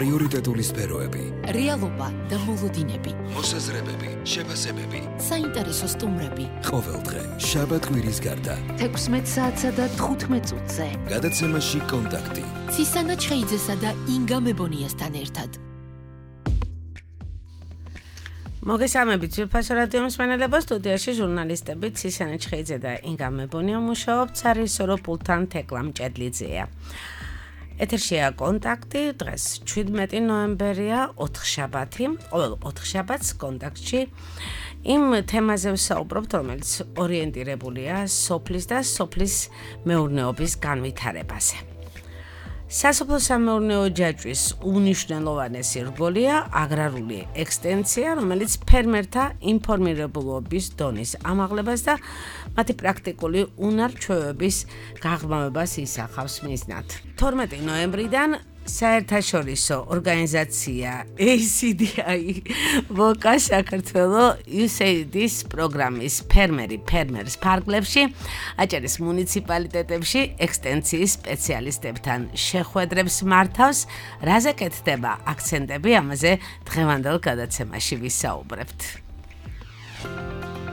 პრიორიტეტული სფეროები, რეალობა და მოლოდინები, მოსაზრებები, შეფასებები, საინტერესო სტუმრები. ყოველდღე, შაბათ-კვირის გარდა, 16 საათსა და 15 წუთზე. გადაცემაში კონტაქტი. ცისანა ჩხეიძესა და ინგა მებონიასთან ერთად. მოგესალმებით ძვირფასო რადიო მსმენელებო, სტუდიაში ჟურნალისტები ცისანა ჩხეიძე და ინგა მებონია მუშაობთ, სარისორო პულტთან თეკლა მჭედლიძეა. ეთერშია კონტაქტი, დღეს 17 ნოემბერია, 4 შაბათი, ყოველ 4 შაბათს კონტაქტში იმ თემაზე ვსაუბრობთ, რომელიც ორიენტირებულია სოფლის და სოფლის მეურნეობის განვითარებაზე. სასოფლო-სამეურნეო ჯაჭვის უნიშნელოვანესი რგოლია აგრარული ექსტენცია, რომელიც ფერმერთა ინფორმირებულობის დონის ამაღლებას და მათი პრაქტიკული უნარ-ჩვევების გაღრმავებას ისახავს მიზნად. 12 ნოემბრიდან საერთაშორისო ორგანიზაცია ACDI VOCA საქართველო USAID-ის პროგრამის ფერმერს ფარგლებში, აჭარის მუნიციპალიტეტებში ექსტენციის სპეციალისტებთან შეხვედრებს მართავს, რაზე კეთდება აქცენტები, ამაზე დღევანდელ გადაცემაში ვისაუბრებთ.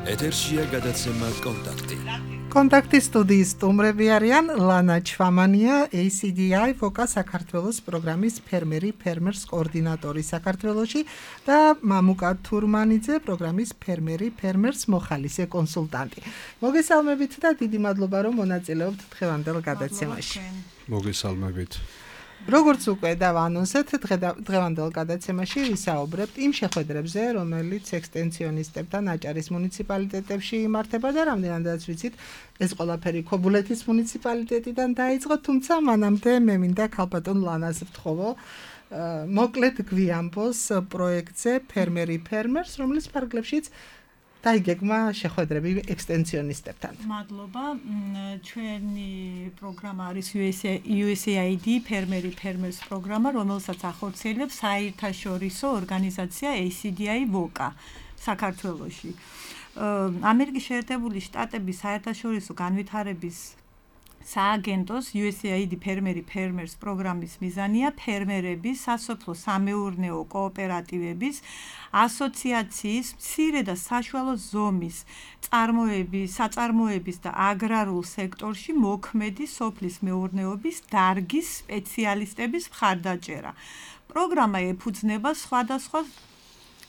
ეთერშია გადაცემა კონტაქტი. კონტაქტის სტუდიის სტუმრები არიან ლანა ჩვამანია, ACDI VOCA საქართველოს პროგრამის ფერმერს კოორდინატორი საქართველოში და მამუკა თურმანიძე, პროგრამის ფერმერს მოხალისე კონსულტანტი. მოგესალმებით და დიდი მადლობა, რომ მონაწილეობთ დღევანდელ გადაცემაში. მოგესალმებით. როგორც უკვე დავანონსეთ, დღევანდელ გადაცემაში ვისაუბრებთ იმ შეხვედრებზე, რომელიც ექსტენციონისტებთან აჭარის მუნიციპალიტეტებში იმართება და რამდენადაც ვიცით, ეს ყველაფერი ქობულეთის მუნიციპალიტეტიდან დაიწყო, თუმცა მანამდე მე მინდა ქალბატონ ლანას ვთხოვო, მოკლედ გვიამბოს პროექტზე ფერმერს, რომლის ფარგლებშიც დაიგეგმა შეხვედრები ექსტენციონისტებთან. მადლობა. ჩვენი პროგრამა არის USAID ფერმერს პროგრამა, რომელსაც ახორციელებს საერთაშორისო ორგანიზაცია ACDI VOCA საქართველოში. ამერიკის შეერთებული შტატების საერთაშორისო განვითარების სააგენტოს USAID ფერმერს პროგრამის მიზანია ფერმერების, სასოფლო-სამეურნეო კოოპერატივების, ასოციაციის, მცირე და საშუალო ზომის საწარმოების და აგრარულ სექტორში მოქმედი სოფლის მეურნეობის დარგის სპეციალისტების მხარდაჭერა. პროგრამა ეფუძნება სხვადასხვა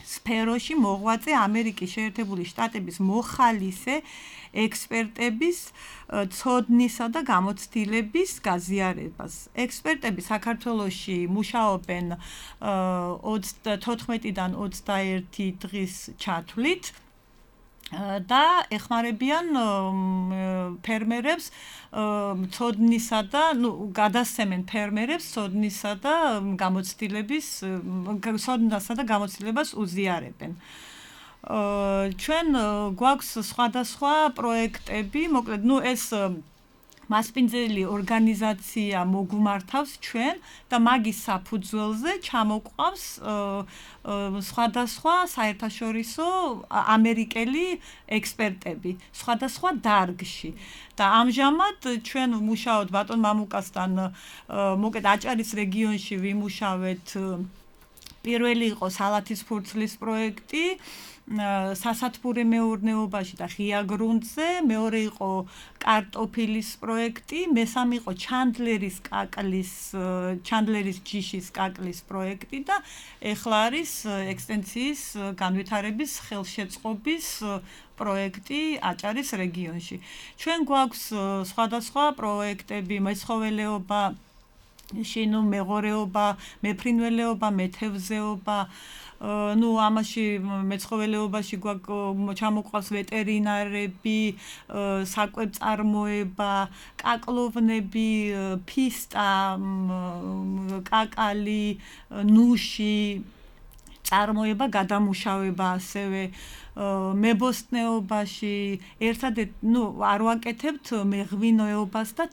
სფეროში მოღვაწე ამერიკის შეერთებული შტატების მოხალისე ექსპერტების ცოდნისა და გამოცდილების გაზიარებას. ექსპერტები საქართველოში მუშაობენ 14-დან 21 დღის ჩათვლით და ეხმარებიან ფერმერებს ცოდნისა და გადასცემენ ფერმერებს ცოდნისა და გამოცდილებას უზიარებენ. ჩვენ გვაქვს სხვადასხვა პროექტები, მოკლედ, ეს მასპინძელი ორგანიზაცია მოგვმართავს ჩვენ და მაგის საფუძველზე ჩამოყვავს სხვადასხვა საერთაშორისო ამერიკელი ექსპერტები სხვადასხვა დარგში. და ამჟამად ჩვენ ვმუშაობთ ბატონ მამუკასთან, მოკლედ აჭარის რეგიონში ვიმუშავეთ. პირველი იყო სალათის ფურცლის პროექტი სასათბურე მეურნეობაში და ღია გრუნტზე, მეორე იყო კარტოფილის პროექტი, მესამე იყო ჩანდლერის ჯიშის კაკლის პროექტი და ეხლა არის ექსტენციის განვითარების ხელშეწყობის პროექტი აჭარის რეგიონში. ჩვენ გვაქვს სხვადასხვა პროექტები, მეცხოველეობა, მეღორეობა, მეფრინველეობა, მეთევზეობა, ამაში მეცხოველეობაში ჩამოყვავს ვეტერინარები, საკვებწარმოება, კაკლოვნები, ფისტა, კაკალი, ნუში, წარმოება, გადამუშავება ასევე მებოსტნეობაში, ერთადერთ, არ ვაკეთებთ მეღვინეობას და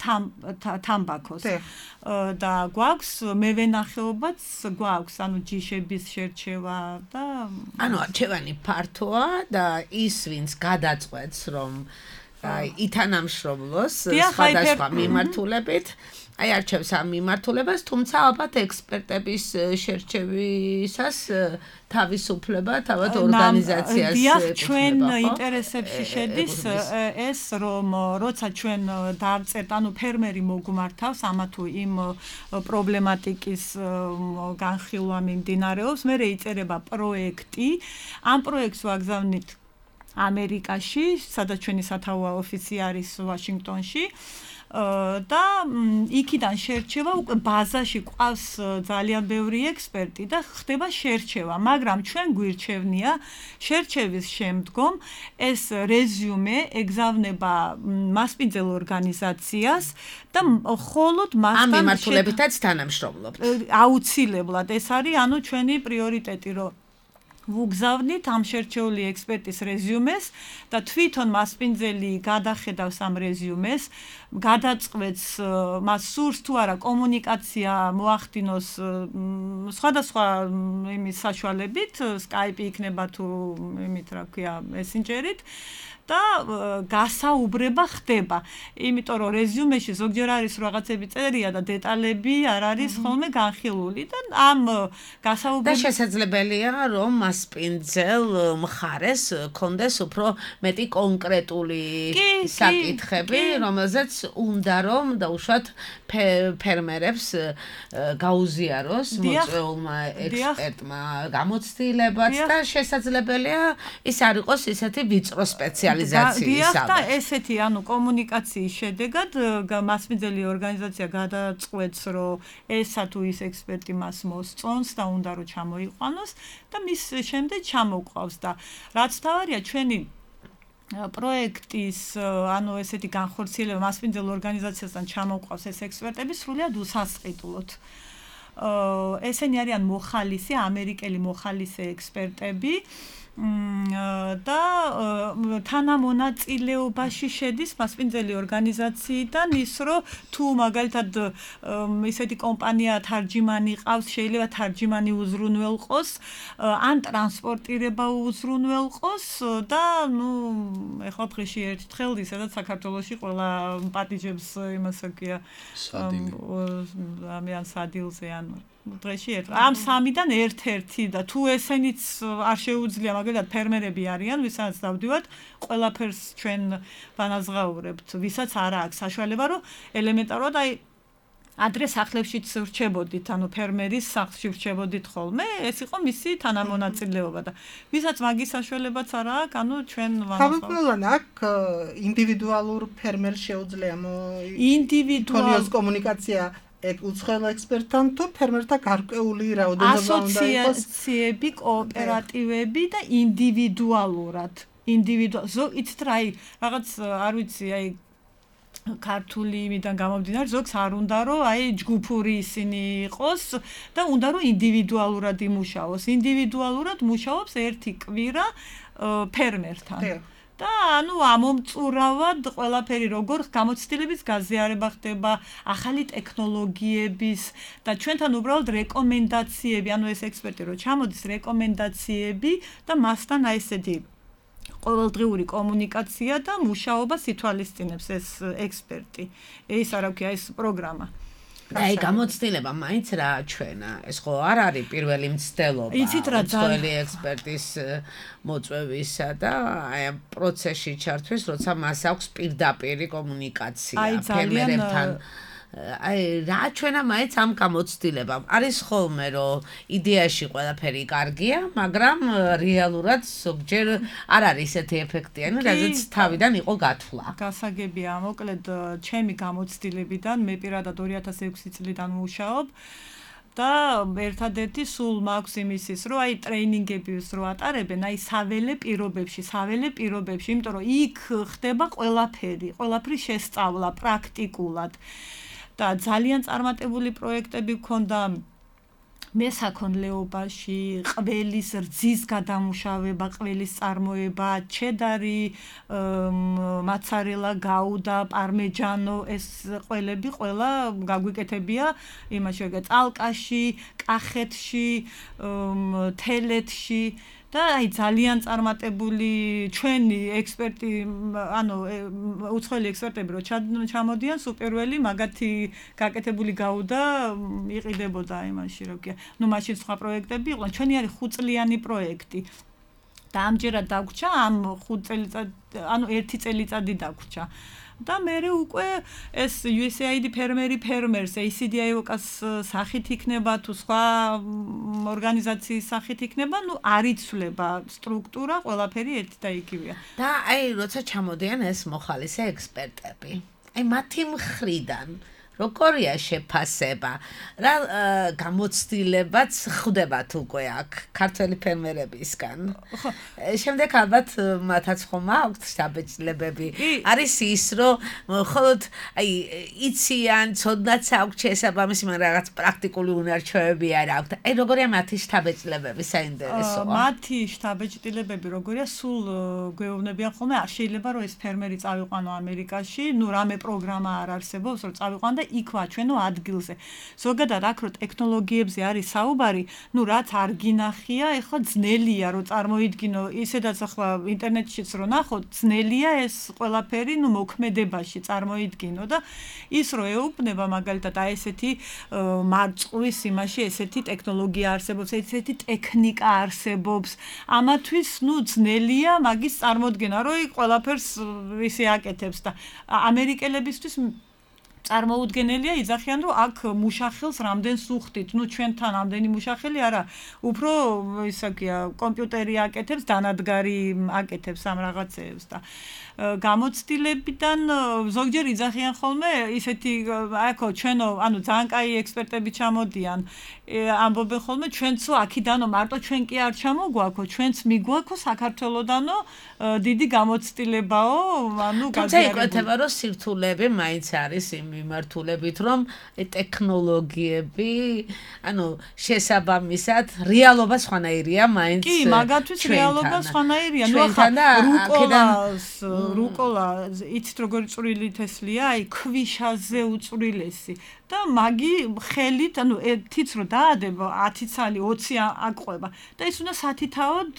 თამბაქოს. და გვაქვს მევენახეობაც გვაქვს, ჯიშების შერჩევა და არჩევანი ფართოა და ის ვინც გადაწყვეტს, რომ ითანამშრომლოს სხვადასხვა მიმართულებით, აი არჩევს ამ მიმართულებას, თუმცა ალბათ ექსპერტების შერჩევისას თავისუფლება თავად ორგანიზაციას დიახ, ჩვენ ინტერესებში შედის ეს, რომ როცა ჩვენ დავწერთ, ანუ ფერმერი მოგმართავს ამა თუ იმ პრობლემატიკის განხილვა მიმდინარეობს, მერე იწერება პროექტი, ამ პროექტს ვაგზავნით ამერიკაში, სადაც ჩვენი სათავო ოფისი არის ვაშინგტონში. და იქიდან შერჩევა უკვე ბაზაში ყავს ძალიან ბევრი ექსპერტი და ხდება შერჩევა, მაგრამ ჩვენ გვირჩევნია შერჩევის შემდგომ ეს რეზიუმე ეგზავნება მასპინძელ ორგანიზაციას და მხოლოდ მასთან ამ მიმართულებითაც თანამშრომლობთ. აუცილებლად ეს არის ანუ ჩვენი პრიორიტეტი, რომ ვუგზავნით ამ შერჩეული ექსპერტის რეზიუმეს და თვითონ მასპინძელი გადახედავს ამ რეზიუმეს, გადაწყვეტს მას სურს თუ არა კომუნიკაცია მოახდინოს სხვადასხვა იმის საშუალებით, Skype იქნება თუ იმით რა ქვია, Messenger-ით და გასაუბრება ხდება. იმიტომ რომ რეზიუმეში ზოგჯერ არის რაღაცები წერია და დეტალები არ არის ხოლმე განხილული და ამ გასაუბრება და შესაძლებელია რომ მასპინძელ მხარეს კონდეს უფრო მეტი კონკრეტული საკითხები, რომელზეც უნდა რომ დაუშვათ ფერმერებს გაუზიაროს მოწვეულმა ექსპერტმა გამოცდილებაც და შესაძლებელია ის არ იყოს ისეთი ვიწრო სპეციალიზაციის და ესეთი ანუ კომუნიკაციის შედეგად მასპინძელი ორგანიზაცია გადაწყვეტს რომ ესა თუ ის ექსპერტი მას მოსწონს და უნდა რომ ჩამოიყვანოს და მის შემდეგ ჩამოყვავს და რაც თავარია ჩვენი პროექტის ანუ ესეთი განხორციელება მასპინძელ ორგანიზაციასთან ჩამოყვავს ეს ექსპერტები სრულიად უსასყიდლოდ. ესენი არიან მოხალისე, ამერიკელი მოხალისე ექსპერტები და თანამონაწილეობაში შედის მასპინძელი ორგანიზაციიდან ის რომ თუ მაგალითად ისეთი კომპანია თარჯიმანი ყავს, შეიძლება თარჯიმანი უზრუნველყოს, ან ტრანსპორტირება უზრუნველყოს და ნუ ეხლა დღეში ერთხელ ისედაც საქართველოში ყველა პატიჟებს იმას აქვია ამიან სადილზე ან დღეში ამ სამიდან ერთ-ერთი და თუ ესენიც არ შეუძლია მაგალითად ფერმერები არიან, ვისაც დავდივართ, ყველაფერს ჩვენ ვანაზღაურებთ, ვისაც არ აქვს საშუალება, რომ ელემენტარულად აი ადრე სახლებშიც ვრჩებოდით, ანუ ფერმერის სახლში ვრჩებოდით ხოლმე, ეს იყო მისი თანამონაწილეობა და ვისაც მაგის საშუალებაც არ აქვს, ანუ ჩვენ ვანაზღაურებთ. აქ ინდივიდუალურ ფერმერს შეუძლია ინდივიდუალურ კომუნიკაცია უცხოელ ექსპერტთან თუ ფერმერთა გარკვეული რაოდენობა უნდა იყოს ასოციაციები, კოოპერატივები და ინდივიდუალურად. იცით რა, რაღაც არ ვიცი, აი ქართული იმიდან გამომდინარე, ზოგს არ უნდა რომ აი ჯგუფური ისინი იყოს და უნდა რომ ინდივიდუალურად იმუშაოს. ინდივიდუალურად მუშაობს ერთი კვირა ფერმერთან. და ანუ ამომწურავად ყველაფერი როგორ გამოცდილების გაზიარება ხდება, ახალი ტექნოლოგიების და ჩვენთან უბრალოდ რეკომენდაციები, ანუ ეს ექსპერტი რო ჩამოდის რეკომენდაციები და მასთან აი ესეთი ყოველდღიური კომუნიკაცია და მუშაობას ითვალისწინებს ეს ექსპერტი. ეს არა ვქია ეს პროგრამა. აი გამოცდილება მაინც რა ჩვენა ეს ხო არ არის პირველი მცდელობა უცხოელი ექსპერტის მოწვევისა და აი ამ პროცესში ჩართვის როცა მას აქვს პირდაპირი კომუნიკაცია ფერმერებთან აი რა ჩვენა მაინც ამ გამოცდილებამ არის ხოლმე რომ იდეაში ყველაფერი კარგია მაგრამ რეალურად ზოგჯერ არ არის ესეთი ეფექტიანი რაზეც თავიდან იყო გათვლა გასაგებია მოკლედ ჩემი გამოცდილებიდან მე პირადად 2006 წლიდან ვმუშაობ და ერთადერთი სულ მაქვს იმისის რომ აი ტრეინინგებს რო ატარებენ აი საველე პირობებში იმიტომ რომ იქ ხდება ყველაფრის შესწავლა პრაქტიკულად და ძალიან წარმატებული პროექტები გქონდა მესაქონლეობაში, ყველის რძის გადამუშავება, ყველის წარმოება, ჩედარი, მოცარელა, გაუდა, პარმეჯანო, ეს ყველები ყველა გაგვიკეთებია იმაში, წალკაში, კახეთში, თელეთში და და აი ძალიან წარმატებული ჩვენი ექსპერტი, ანუ უცხოელი ექსპერტები რო ჩამოდიან, სუპერველი მაგათი გაკეთებული გაუდა იყიდებოდა იმაში, რო კი. ნუ მაშინ სხვა პროექტები იყვნენ, ჩვენი არის 5 წლიანი პროექტი. და ამჯერად დაგვრჩა ამ 5 წელიწად, ანუ 1 წელიწადი დაგვრჩა. და მე უკვე ეს USAID ფერმერს ACDI-ოს სახით იქნება თუ სხვა ორგანიზაციის სახით იქნება, ნუ არ იცვლება სტრუქტურა, ყველაფერი ერთი და იგივეა. და აი როცა ჩამოდიან ეს მოხალისე ექსპერტები, აი მათი მხრიდან როგორია შეფასება? რა გამოცდილებაც ხდებათ უკვე აქ ქართველი ფერმერებისგან? შემდეგ ალბათ მათაც ხომ აქვთ შთაბეჭდილებები. არის ის, რომ მხოლოდ აი იციან, ცოდნაც აქვთ შესაბამისი, მაგრამ რაღაც პრაქტიკული უნარჩვევები არ აქვთ. აი როგორია მათი შთაბეჭდილებები, საინტერესოა. მათი შთაბეჭდილებები როგორია, სულ გვეუბნებიან ხოლმე, არ შეიძლება რომ ეს ფერმერი წავიყვანო ამერიკაში, ნუ რამე პროგრამა არ არსებობს, რომ წავიყვან და იქ ვაჩვენო ადგილზე. ზოგადად აქ რო ტექნოლოგიებზე არის საუბარი, ნუ რაც არ გინახია, ეხლა ძნელია რომ წარმოიდგინო, ისედაც ახლა ინტერნეტშიც რო ნახოთ, ძნელია ეს ყველაფერი, ნუ მოქმედებაში წარმოიდგინო და ის რო ეუბნება მაგალითად აი ესეთი მარწყვის იმაში ესეთი ტექნოლოგია არსებობს, ესეთი ტექნიკა არსებობს. ამათვის ნუ ძნელია მაგის წარმოდგენა, რომ იქ ყველაფერს ისე აკეთებს და ამერიკელებისთვის წარმოუდგენელია იძახიან რომ აქ მუშახელს რამდენს უხდით, ნუ ჩვენთან ამდენი მუშახელი არა, უფრო ისაკია კომპიუტერი აკეთებს, დანადგარი აკეთებს ამ რაღაცეებს და გამოცდილებიდან ზოგჯერ იძახიან ხოლმე ისეთი აიქო ჩვენო, ანუ ძალიან კაი ექსპერტები ჩამოდიან, ამბობენ ხოლმე ჩვენცო აქიდანო მარტო ჩვენ კი არ ჩამოგვაქო, ჩვენც მიგვაქო საქართველოდანო დიდი გამოცდილებაო, ანუ თუმცა იკვეთება რომ სირთულეები მაინც არის იმ მიმართულებით, რომ ტექნოლოგიები, ანუ შესაბამისად რეალობა სხვანაირია მაინც. კი, მაგათთვის რეალობა სხვანაირია. ნუ რუკოლა იცით როგორი წვრილი თესლია, აი ქვიშაზე უწვრილესი და მაგი ხელით, ანუ ერთიც რო დაადება 10 ცალი 20 აყვება და ის უნდა სათითაოდ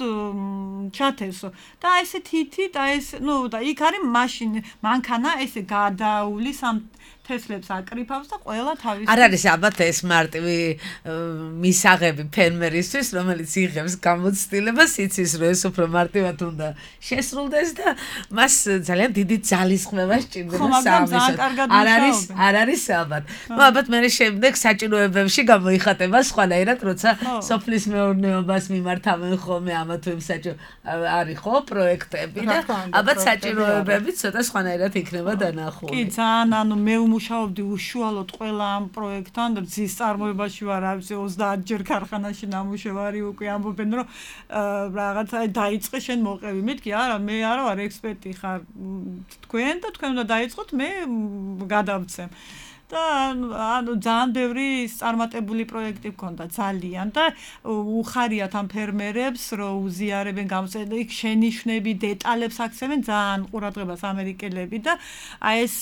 ჩათესო და ესე თითით, აი ეს, ნუ და იქ არის მაშინ მანქანა ესე გადაულის ამ თესლებს აკრიფავს და ყველა თავის არ არის ალბათ ეს მარტივი მისაღები ფერმერისთვის, რომელიც იღებს გამოცდილებას, იცის რომ ეს უფრო მარტივად უნდა შესრულდეს და მას ძალიან დიდი ძალისხმევა სჭირდება საამისოდ. არ არის ალბათ. ნუ ალბათ მე შემდეგ საჭიროებებში გამოიხატება სხვანაირად, როცა სოფლის მეურნეობას მიმართავენ ხოლმე ამა თუ იმ არის ხო პროექტები და ალბათ საჭიროებები ცოტა სხვანაირად იქნება დანახული. კი, ძალიან, ანუ მე მუშაობდი უშუალოდ ყველა ამ პროექტთან და ძის წარმოებაში ვარ, ავზე 30 ჯერ ქარხანაში ნამუშევარი უკვე ამბობენ რომ რაღაცა დაიწყე შენ მოყევი. მეთქი არა, მე არა ვარ ექსპერტი ხარ თქვენ და თქვენ უნდა დაიწყოთ, მე გადავცემ. და ანუ ძალიან ბევრი წარმატებული პროექტი გქონდა ძალიან და უხარიათ ამ ფერმერებს რომ უზიარებენ იქ შენიშვნები, დეტალებს აქცევენ ძალიან ყურადღებას ამერიკელები და აი ეს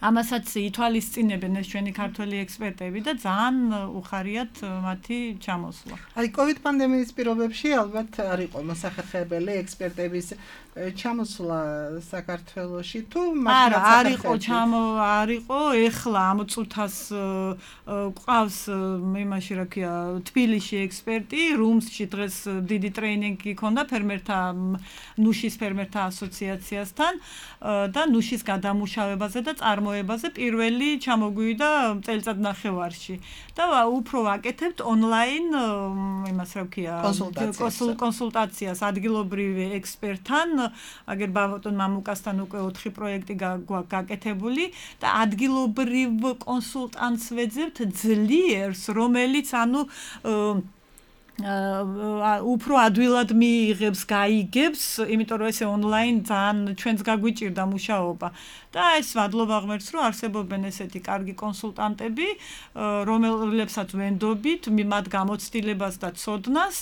ამასაც ითვალისწინებენ ეს ჩვენი ქართველი ექსპერტები და ძალიან უხარიათ მათი ჩამოსვლა. აი COVID პანდემიის პირობებში ალბათ არ იყო მოსახერხებელი ექსპერტების ჩამოსვლა საქართველოში თუ არ იყო ეხლა ამ წუთას ყავს იმაში რა ქვია თბილისში ექსპერტი, რუმსში დღეს დიდი ტრეინინგი ქონდა ფერმერთა ნუშის ფერმერთა ასოციაციასთან და ნუშის გადამუშავებაზე და წარმოებაზე პირველი ჩამოგვივიდა წელიწად ნახევარში და უფრო ვაკეთებთ ონლაინ იმას რა ქვია კონსულტაციას ადგილობრივ ექსპერტთან აგერ ბატონ მამუკასთან უკვე 4 პროექტი გაკეთებული და ადგილობრივ კონსულტანტს ვეძებთ ძლიერს, რომელიც ანუ უფრო ადვილად მიიღებს, გაიგებს, იმიტომ რომ ესე ონლაინ ძალიან ჩვენს გაგვიჭირდა მუშაობა. და ეს ვადლობა ღმერთს რომ არსებობენ ესეთი კარგი კონსულტანტები, რომელებსაც ვენდობით, მათ გამოცდილებას და ცოდნას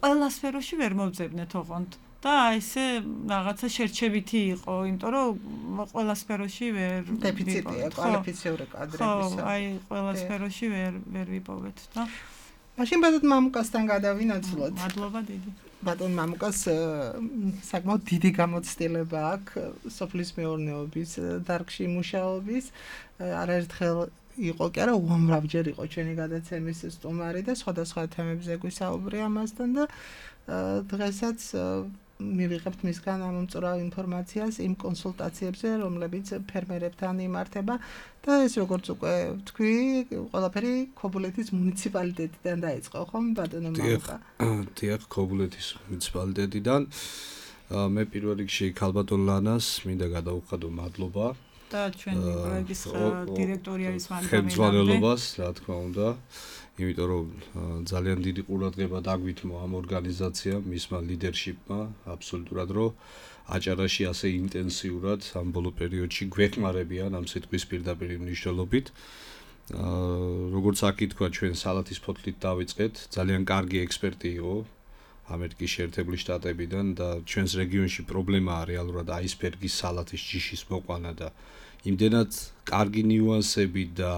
ყველა სფეროში ვერ მოვძებნეთ ოღონდ. და ესე რაღაცა შერჩევითი იყო, იმიტომ რომ ყველა სფეროში ვერ დეფიციტია კვალიფიციური კადრების. ხო, აი ყველა სფეროში ვერ ვიპოვეთ და მაშინ ბატონ მამუკასთან გადავინაცვლოთ. მადლობა დიდი. ბატონ მამუკას საკმაოდ დიდი გამოცდილება აქვს სოფლის მეურნეობის დარგში მუშაობის. არაერთხელ იყო კი არა უამრავჯერ იყო ჩვენი გადაცემის სტუმარი და სხვადასხვა თემებზე გვისაუბრია ამასთან და დღესაც მივიღებთ მისგან ამომწურავ ინფორმაციას იმ კონსულტაციებზე, რომლებიც ფერმერებთან იმართება და ეს როგორც უკვე თქვი, ყველაფერი ქობულეთის მუნიციპალიტეტიდან დაიწყო, ხომ ბატონო მამუკა? დიახ, ქობულეთის მუნიციპალიტეტიდან. მე პირველ რიგში ქალბატონ ლანას მინდა გადავუხადო მადლობა და ჩვენი პროექტის დირექტორი არის ხელმძღვანელობას, რა თქმა უნდა. იმიტომ რომ ძალიან დიდი ყურადღება დაგვითმო ამ ორგანიზაციამ, მისმა ლიდერშიპმა, აბსოლუტურად რომ აჭარაში ასე ინტენსიურად ამ ბოლო პერიოდში გვეხმარებიან ამ სიტყვის პირდაპირ მნიშვნელობით. როგორც აქ ითქვა, ჩვენ სალათის ფოთლით დავიწყეთ, ძალიან კარგი ექსპერტი იყო ამერიკის შეერთებული შტატებიდან და ჩვენს რეგიონში პრობლემაა რეალურად აისბერგის სალათის ჯიშის მოყვანა და იმდენად კარგი ნიუანსები და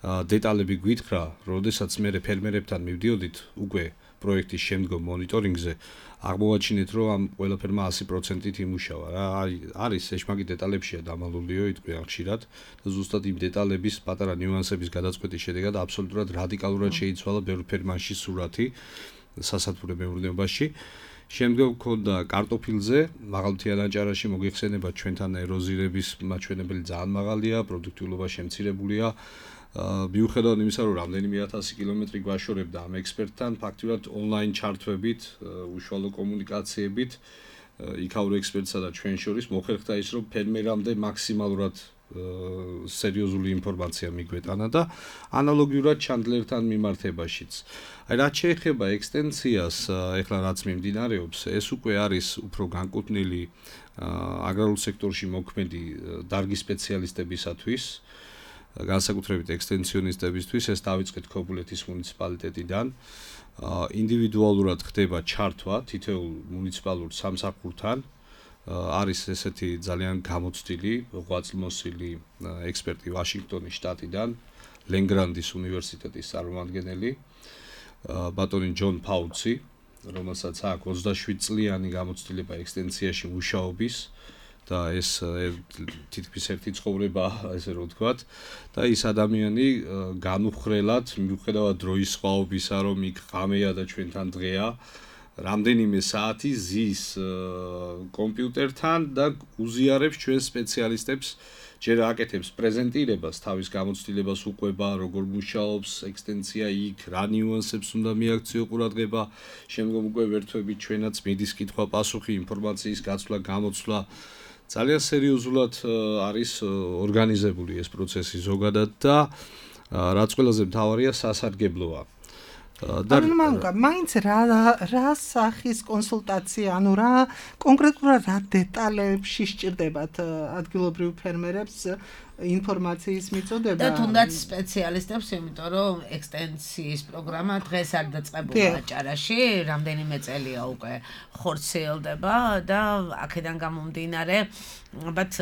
დეტალები გვითხრა, როდესაც მე ფერმერებთან მივდიოდით უკვე პროექტის შემდგომ მონიტორინგზე, აღმოვაჩინეთ, რომ ამ ყველაფერმა 100%-ით იმუშავა. რა არის ეშმაკი დეტალებშია დამალულიო, იტყვიან ხშირად და ზუსტად იმ დეტალების პატარა ნიუანსების გადაწყვეტის შედეგად აბსოლუტურად რადიკალურად შეიცვალა ბევრ ფერმაში სურათი სასათბურე მეურნეობაში. შემდგომ გქონდა კარტოფილზე, მაღალმთიან აჭარაში მოგიხსენება ჩვენთან ეროზირების მაჩვენებელი ძალიან მაღალია, პროდუქტიულობა შემცირებულია. მიუხედავად იმისა, რომ რამდენიმე 1000 კილომეტრი გვაშორებდა ამ ექსპერტთან, ფაქტიურად ონლაინ ჩართვებით, უშუალო კომუნიკაციებით, იქაურ ექსპერტსა და ჩვენ შორის მოხერხდა ის, რომ ფერმერამდე მაქსიმალურად სერიოზული ინფორმაცია მიგვეტანა და ანალოგიურად ჩანდლერთან მიმართებაშიც. აი რაც შეეხება ექსტენციას, ეხლა რაც მიმდინარეობს, ეს უკვე არის უფრო განკუთვნილი აგრარულ სექტორში მოქმედი დარგის სპეციალისტებისათვის. განსაკუთრებით ექსტენციონისტებისთვის ეს დავიწყეთ ქობულეთის მუნიციპალიტეტიდან. ინდივიდუალურად ხდება ჩართვა თითოეულ მუნიციპალურ სამსახურთან. არის ესეთი ძალიან გამოცდილი, ღვაწლმოსილი ექსპერტი ვაშინგტონის შტატიდან, ლენგრანდის უნივერსიტეტის წარმომადგენელი, ბატონი ჯონ ფაუცი, რომელსაც აქვს 27 წლიანი გამოცდილება ექსტენციაში მუშაობის. და ეს თითქმის ერთი ცხოვრება, ესე რომ ვთქვათ, და ის ადამიანი განუხრელად, მიუხედავად დროის სხვაობისა, რომ იქ ღამეა და ჩვენთან დღეა, რამდენიმე საათი ზის კომპიუტერთან და უზიარებს ჩვენ სპეციალისტებს, ჯერ აკეთებს პრეზენტირებას, თავის გამოცდილებას უყვება, როგორ მუშაობს ექსტენცია იქ, რა ნიუანსებს უნდა მიაქციო ყურადღება, შემდგომ უკვე ვერთვებით ჩვენაც მიდის კითხვა-პასუხი, ინფორმაციის გაცვლა, გამოცვლა. ძალიან სერიოზულად არის ორგანიზებული ეს პროცესი ზოგადად და რაც ყველაზე მთავარია სასარგებლოა. ანუ მამუკა, მაინც რა სახის კონსულტაცია, ანუ რა კონკრეტულად რა დეტალებში სჭირდებათ ადგილობრივ ფერმერებს ინფორმაციის მიწოდება და თუნდაც სპეციალისტებს, იმიტომ რომ ექსტენსიის პროგრამა დღეს არ დაწყებულია აჭარაში, რამდენიმე წელია უკვე ხორციელდება და აქედან გამომდინარე ალბათ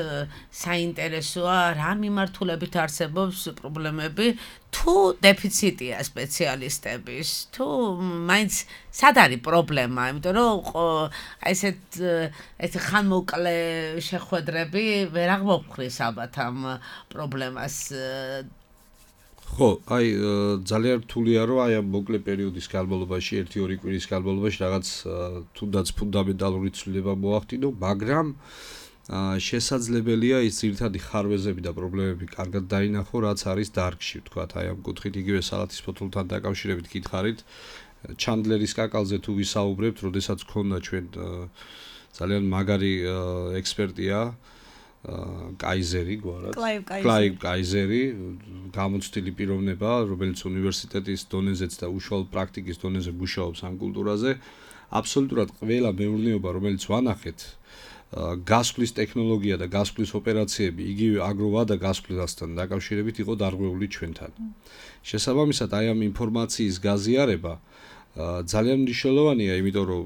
საინტერესოა რა მიმართულებით არსებობს პრობლემები თუ დეფიციტია სპეციალისტების თუ მაინც სად არის პრობლემა, იმიტომ რომ ეს ხანმოკლე შეხვედრები ვერ აღმოფხრის ალბათ ამ პრობლემას. ხო, აი ძალიან რთულია რომ აი ამ მოკლე პერიოდის განმავლობაში, 1-2 კვირის განმავლობაში რაღაც თუნდაც ფუნდამენტალური ცვლილება მოახდინო, მაგრამ შესაძლებელია ის ძირითადი ხარვეზები და პრობლემები კარგად დაინახო, რაც არის დარგში, ვთქვათ, აი ამ კუთხით იგივე სალათის ფოთლთან დაკავშირებით გითხარით, ჩანდლერის კაკალზე თუ ვისაუბრებთ, როდესაც ქონდა ჩვენ ძალიან მაგარი ექსპერტია კაიზერი გვარად. კლაივ კაიზერი, გამოცდილი პიროვნება, რომელიც უნივერსიტეტის დონეზეც და უშუალო პრაქტიკის დონეზე მუშაობს ამ კულტურაზე. აბსოლუტურად ყველა მეურნეობა, რომელიც ვანახეთ, გასვლის ტექნოლოგია და გასვლის ოპერაციები, იგივე აგროვადა გასვლასთან დაკავშირებით იყო დარღვეული ჩვენთან. შესაბამისად, აი ამ ინფორმაციის გაზიარება ძალიან მნიშვნელოვანია, იმიტომ რომ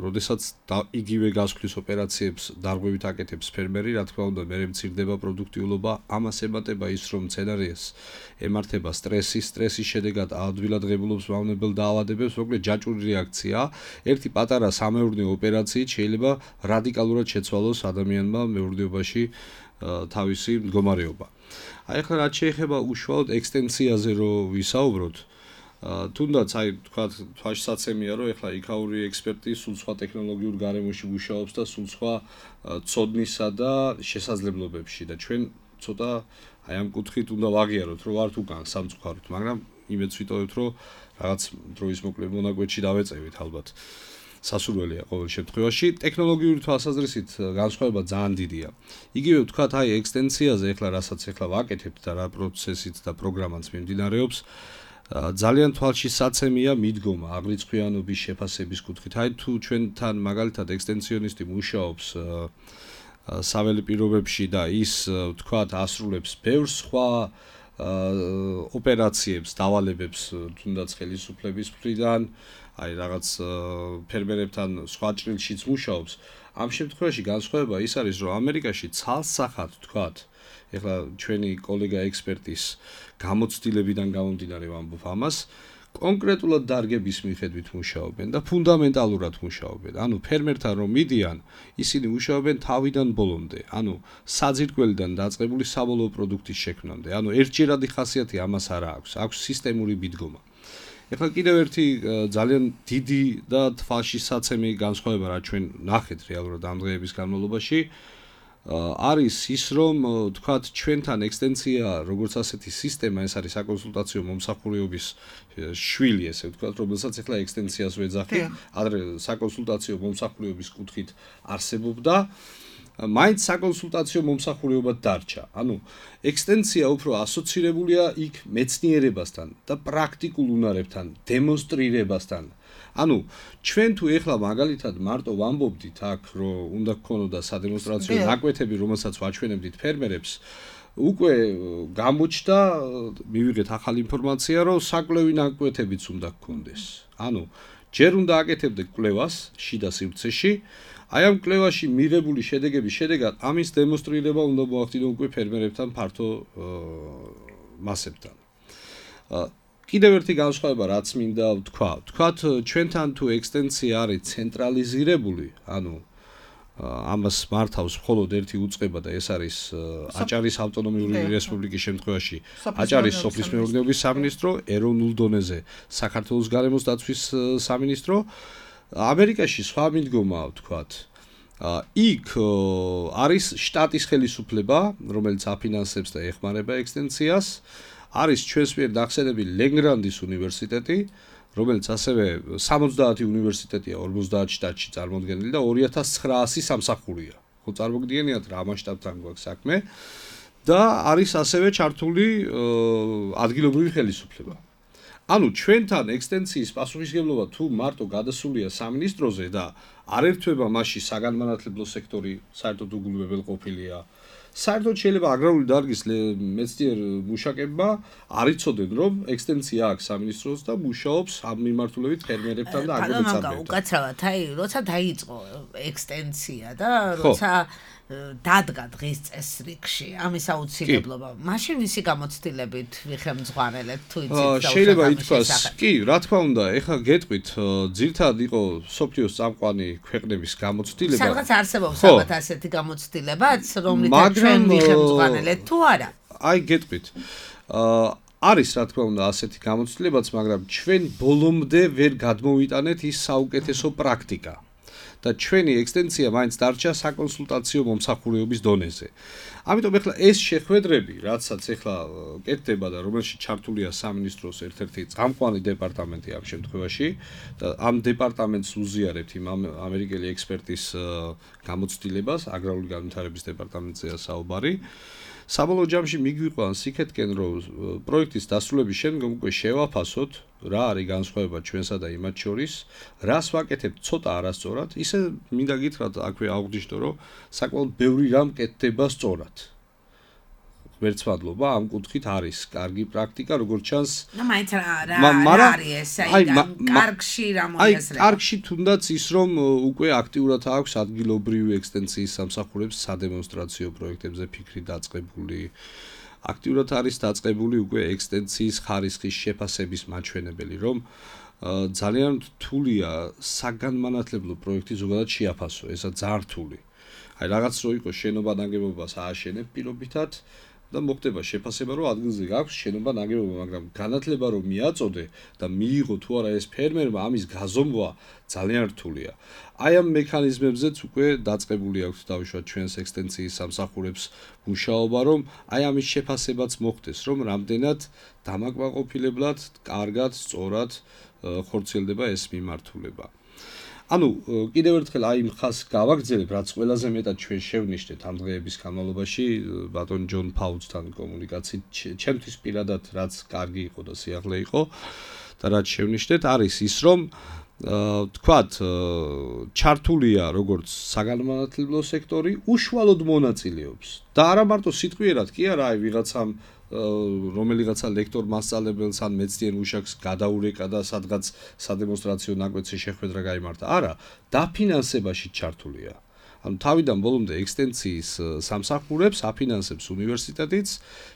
როდესაც იგივე გასვლის ოპერაციებს დარღვევით აკეთებს ფერმერი, რა თქმა უნდა, მე მცირდება პროდუქტიულობა, ამას ემატება ის, რომ მცენარეებს ემართება სტრესის შედეგად ადვილად ღებულობს მავნებელ დაავადებებს, მოკლედ ჯაჭვური რეაქცია, ერთი პატარა სამეურნეო ოპერაციით შეიძლება რადიკალურად შეცვალოს ადამიანმა მეურნეობაში თავისი მდგომარეობა. აი ახლა რაც შეეხება უშუალოდ ექსტენსიაზე რო ვისაუბროთ, თუნდაც აი თქვა თვალსაცემია რომ ეხლა იქაური ექსპერტი სულ სხვა ტექნოლოგიურ გარემოში მუშაობს და სულ სხვა ცოდნისა და შესაძლებლობებში და ჩვენ ცოტა აი ამ კუთხით უნდა ვაღიაროთ რომ ვართ უკან სამწუხაროდ, მაგრამ იმედს ვიტოვებთ რომ რაღაც დროის მონაკვეთში დავეწევით ალბათ. სასურველია ყოველ შემთხვევაში ტექნოლოგიური თვალსაზრისით განსხვავება ძალიან დიდია. იგივე ვთქვათ აი ექსტენსიაზე ეხლა რასაც ეხლა ვაკეთებთ და რა პროცესით და პროგრამაც მიმდინარეობს ძალიან თვალში საცემია მიდგომა აღრიცხვიანობის შეფასების კუთხით. აი თუ ჩვენთან მაგალითად ექსტენსიონისტი მუშაობს საველე პირობებში და ის ვთქვათ ასრულებს ბევრ სხვა ოპერაციებს, დავალებებს თუნდაც ხელისუფლების მხრიდან, აი რაღაც ფერმერებთან სხვა ჭრილშიც მუშაობს. ამ შემთხვევაში განსხვავება ის არის, რომ ამერიკაში ცალსახად ვთქვათ, ეხლა ჩვენი კოლეგა ექსპერტის გამოცდილებიდან გამომდინარე ვამბობ ამას, კონკრეტულად დარგების მიხედვით მუშაობენ და ფუნდამენტალურად მუშაობენ. ანუ ფერმერთან რომ მიდიან, ისინი მუშაობენ თავიდან ბოლომდე, ანუ საძირკველიდან დაწყებული საბოლოო პროდუქტის შექმნამდე. ანუ ერთჯერადი ხასიათი ამას არა აქვს, აქვს სისტემური მიდგომა. ეხლა კიდევ ერთი ძალიან დიდი და თვალში საცემი განსხვავება რა ჩვენ ნახეთ რეალურად ამ დღეების განმავლობაში არის ის რომ თქვათ ჩვენთან ექსტენსია როგორც ასეთი სისტემა ეს არის საკონსულტაციო მომსახურების შვილი ესე ვთქვათ რომელსაც ეხლა ექსტენსიას ვეძახით ადრე საკონსულტაციო მომსახურების კუთხით არსებობდა მაინც საკონსულტაციო მომსახურებად დარჩა. ანუ ექსტენსია უფრო ასოცირებულია იქ მეცნიერებასთან და პრაქტიკულ უნარებთან, დემონსტრირებასთან. ანუ ჩვენ თუ ეხლა მაგალითად მარტო ვამბობდით აქ რომ უნდა გქონოდა სადემონსტრაციო ნაკვეთები, რომელსაც ვაჩვენებდით ფერმერებს, უკვე გამოჩნდა, მივიღეთ ახალი ინფორმაცია, რომ საკლევი ნაკვეთებიც უნდა გქონდეს. ანუ ჯერ უნდა აკეთებდე კვლევას შიდა სივრცეში აი ამ კვლევაში მიღებული შედეგების შედეგად ამის დემონსტრირება უნდა მოახდინო უკვე ფერმერებთან ფართო მასებთან. კიდევ ერთი განსხვავება რაც მინდა ვთქვათ, ჩვენთან თუ ექსტენსია არის ცენტრალიზირებული, ანუ ამას მართავს მხოლოდ ერთი უწყება და ეს არის აჭარის ავტონომიური რესპუბლიკის შემთხვევაში აჭარის სოფლის მეურნეობის სამინისტრო, ეროვნულ დონეზე საქართველოს გარემოს დაცვის სამინისტრო. ამერიკაში სხვა მიდგომაა ვთქვათ. იქ არის შტატის ხელისუფლება, რომელიც აფინანსებს და ეხმარება ექსტენსიას. არის ჩვენს მიერ დახსენებული ლენგრანდის უნივერსიტეტი, რომელიც ასევე 70 უნივერსიტეტია 50 შტატში წარმოდგენილი და 2900 სამსახურია. ხო წარმოგიდგენიათ რა მასშტაბთან გვაქვს საქმე და არის ასევე ჩართული ადგილობრივი ხელისუფლება. ანუ ჩვენთან ექსტენსიის პასუხისმგებლობა თუ მარტო გადასულია სამინისტროზე და არ ერთვება მასში საგანმანათლებლო სექტორი, საერთოდ უგულებელყოფილია. საერთოდ შეიძლება აგრარული დარგის მეცნიერ მუშაკებმა არ იცოდნენ რომ ექსტენსია აქვს სამინისტროს და მუშაობს ამ მიმართულებით ფერმერებთან და აგრომეცნიერებთან. უკაცრავად, აი, როცა დაიწყო ექსტენსია და როცა დადგა დღის წესრიგში ამის აუცილებლობა, მაშინ ვისი გამოცდილებით ვიხემძღვანელეთ თუ იცით? შეიძლება ითქვას, კი, რა თქმა უნდა, ეხლა გეტყვით, ძირითადად იყო სოფლიოს წამყვანი ქვეყნების გამოცდილება. სადღაც არსებობს ალბათ ასეთი გამოცდილებაც, რომლითაც ჩვენ ვიხემძღვანელეთ თუ არა? აი, გეტყვით. არის რა თქმა უნდა ასეთი გამოცდილებაც, მაგრამ ჩვენ ბოლომდე ვერ გადმოვიტანეთ ის საუკეთესო პრაქტიკა. და ჩვენი ექსტენსია მაინც დარჩა საკონსულტაციო მომსახურების დონეზე. ამიტომ ეხლა ეს შეხვედრები, რაცაც ეხლა კეთდება და რომელშიც ჩართულია სამინისტროს ერთ-ერთი წამყვანი დეპარტამენტი ამ შემთხვევაში და ამ დეპარტამენტს უზიარებთ იმ ამერიკელი ექსპერტის გამოცდილებას, აგრარული განვითარების დეპარტამენტზეა საუბარი. საბოლოო ჯამში მიგვიყვანს იქეთკენ რომ პროექტის დასრულების შემდგომ უკვე შევაფასოთ რა არის განსხვავება ჩვენსა და იმათ შორის, რას ვაკეთებთ ცოტა არასწორად, ისე მინდა გითხრათ აქვე აღვნიშნო რომ საკმაოდ ბევრი რამ კეთდება სწორად. ღმერთმადლობა ამ კუთხით არის კარგი პრაქტიკა, როგორც ჩანს. და მაინც რა არის ეს? კარგში რა მოიაზრება? კარგში თუნდაც ის რომ უკვე აქტიურად აქვს ადგილობრივი ექსტენციის სამსახურებს სადემონსტრაციო პროექტებზე ფიქრი დაწყებული. აქტიურად არის დაწყებული უკვე ექსტენციის ხარისხის შეფასების მაჩვენებელი, რომ ძალიან რთულია საგანმანათლებლო პროექტი ზოგადად შეაფასო, ესა ძალიან რთული. აი რაღაც რო იყოს შენობა ნაგებობას ააშენებ პირობითად და მოხდება შეფასება რომ ადგილზე გაქვს შენობა ნაგებობა, მაგრამ განათლება რომ მიაწოდე და მიიღო თუ არა ეს ფერმერმა ამის გაზომვა ძალიან რთულია. აი ამ მექანიზმებზეც უკვე დაწყებული აქვს დავუშვათ ჩვენს ექსტენციის სამსახურებს მუშაობა, რომ აი ამის შეფასებაც მოხდეს, რომ რამდენად დამაკმაყოფილებლად, კარგად, სწორად ხორციელდება ეს მიმართულება. ანუ კიდევ ერთხელ აი მხას გავაგრძელებ, რაც ყველაზე მეტად ჩვენ შევნიშნეთ ამ დღეების განმავლობაში ბატონ ჯონ ფაუცთან კომუნიკაციით, ჩემთვის პირადად რაც კარგი იყო და სიახლე იყო და რაც შევნიშნეთ არის ის, რომ თქვათ ჩართულია როგორც საგანმანათლებლო სექტორი უშუალოდ მონაწილეობს და არა მარტო სიტყვიერად კი არა აი ვიღაცამ რომელიღაცა ლექტორ მასწავლებელს ან მეცნიერ მუშაკს გადაურეკა და სადღაც სადემონსტრაციო ნაკვეთზე შეხვედრა გაიმართა. არა, დაფინანსებაში ჩართულია. ანუ თავიდან ბოლომდე ექსტენციის სამსახურებს აფინანსებს უნივერსიტეტიც,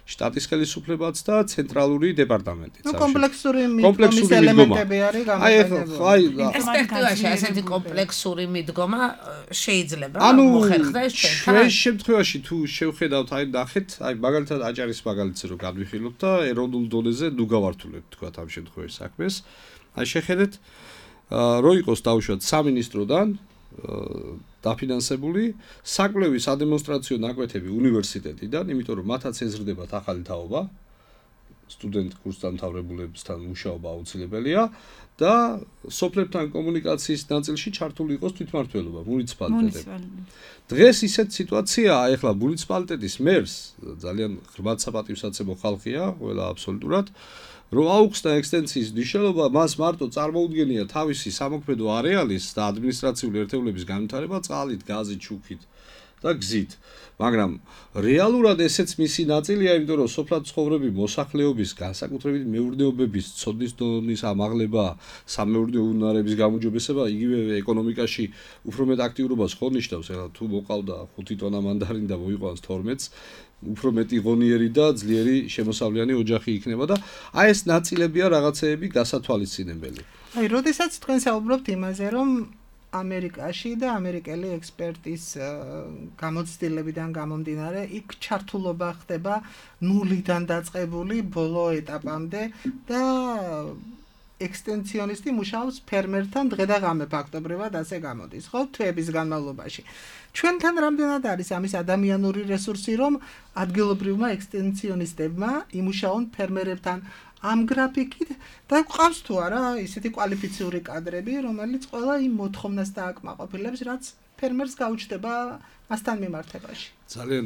შტატის ხელისუფლებაც და ცენტრალური დეპარტამენტიც. ნუ კომპლექსური მიდგომის ელემენტები არის გამოყენებული. პერსპექტივაში ასეთი კომპლექსური მიდგომა შეიძლება მოხერხდეს ჩვენთან. ჩვენ შემთხვევაში თუ შევხედავთ, აი ნახეთ, აი მაგალითად აჭარის მაგალითზე რომ გადვიხილოთ და ეროვნულ დონეზე ნუ გავართულებთ თქვა ამ შემთხვევაში საქმეს. აი შეხედეთ, რო იყოს დავუშვათ სამინისტროდან დაფინანსებული საკვლევი სადემონსტრაციო ნაკვეთები უნივერსიტეტიდან, იმიტომ რომ მათაც ეზრდებათ ახალი თაობა, სტუდენტ კურსდამთავრებულებთან მუშაობა აუცილებელია და სოფლებთან კომუნიკაციის ნაწილში ჩართული იყოს თვითმმართველობა, მუნიციპალიტეტები. დღეს ისეთ სიტუაციაა, ეხლა მუნიციპალიტეტის მერს ძალიან ღრმად საპატივსაცემო ხალხია, ყველა აბსოლუტურად რომ აუხსნა ექსტენციის მნიშვნელობა, მას მარტო წარმოუდგენია თავისი სამოქმედო არეალის და ადმინისტრაციული ერთეულების განვითარება წყალით, გაზით, შუქით და გზით. მაგრამ რეალურად ესეც მისი ნაწილია, იმიტომ რომ სოფლად ცხოვრები მოსახლეობის განსაკუთრებით მეურნეობების ცოდნის დონის ამაღლება, სამეურნეო უნარების გამოჯობესება, იგივე ეკონომიკაში უფრო მეტ აქტიურობას ხო ნიშნავს, ეხლა თუ მოყავდა 5 ტონა მანდარინი და მოიყვანს 12-ს უფრო მეტი ღონიერი და ძლიერი შემოსავლიანი ოჯახი იქნება და აი ეს ნაწილებია რაღაცეები გასათვალისწინებელი. აი, როდესაც თქვენ საუბრობთ იმაზე, რომ ამერიკაში და ამერიკელი ექსპერტის გამოცდილებიდან გამომდინარე, იქ ჩართულობა ხდება ნულიდან დაწყებული ბოლო ეტაპამდე და ექსტენციონისტი მუშაობს ფერმერთან დღე და ღამე ფაქტობრივად ასე გამოდის, ხო, თვეების განმავლობაში. ჩვენთან რამდენად არის ამის ადამიანური რესურსი, რომ ადგილობრივმა ექსტენციონისტებმა იმუშაონ ფერმერებთან ამ გრაფიკით და გვყავს თუ არა ისეთი კვალიფიციური კადრები, რომელიც ყველა იმ მოთხოვნას დააკმაყოფილებს, რაც ფერმერს გაუჩნდება მასთან მიმართებაში. ძალიან